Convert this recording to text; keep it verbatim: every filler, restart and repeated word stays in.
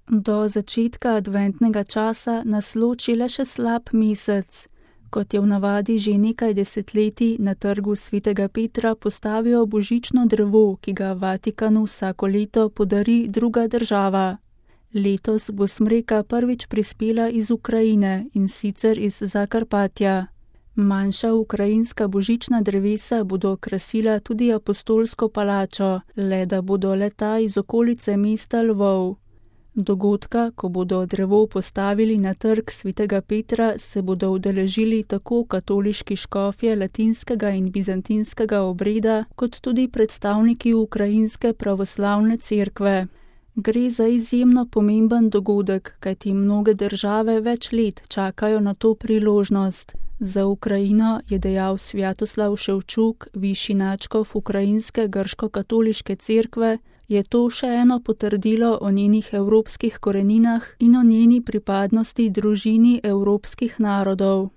Do začetka adventnega časa nas loči le še slab mesec. Kot je v navadi že nekaj desetletij, na trgu svetega Petra postavijo božično drevo, ki ga Vatikanu vsako leto podari druga država. Letos bo smreka prvič prispela iz Ukrajine, in sicer iz Zakarpatja. Manjša ukrajinska božična drevesa bodo krasila tudi apostolsko palačo, le da bodo le-ta iz okolice mesta Lvov. Dogodka, ko bodo drevo postavili na trg svetega Petra, se bodo udeležili tako katoliški škofje latinskega in bizantinskega obreda, kot tudi predstavniki ukrajinske pravoslavne cerkve. Gre za izjemno pomemben dogodek, kajti mnoge države več let čakajo na to priložnost. Za Ukrajino, je dejal Svjatoslav Ševčuk, višji nadškof ukrajinske grško-katoliške cerkve, je to še eno potrdilo o njenih evropskih koreninah in o njeni pripadnosti družini evropskih narodov.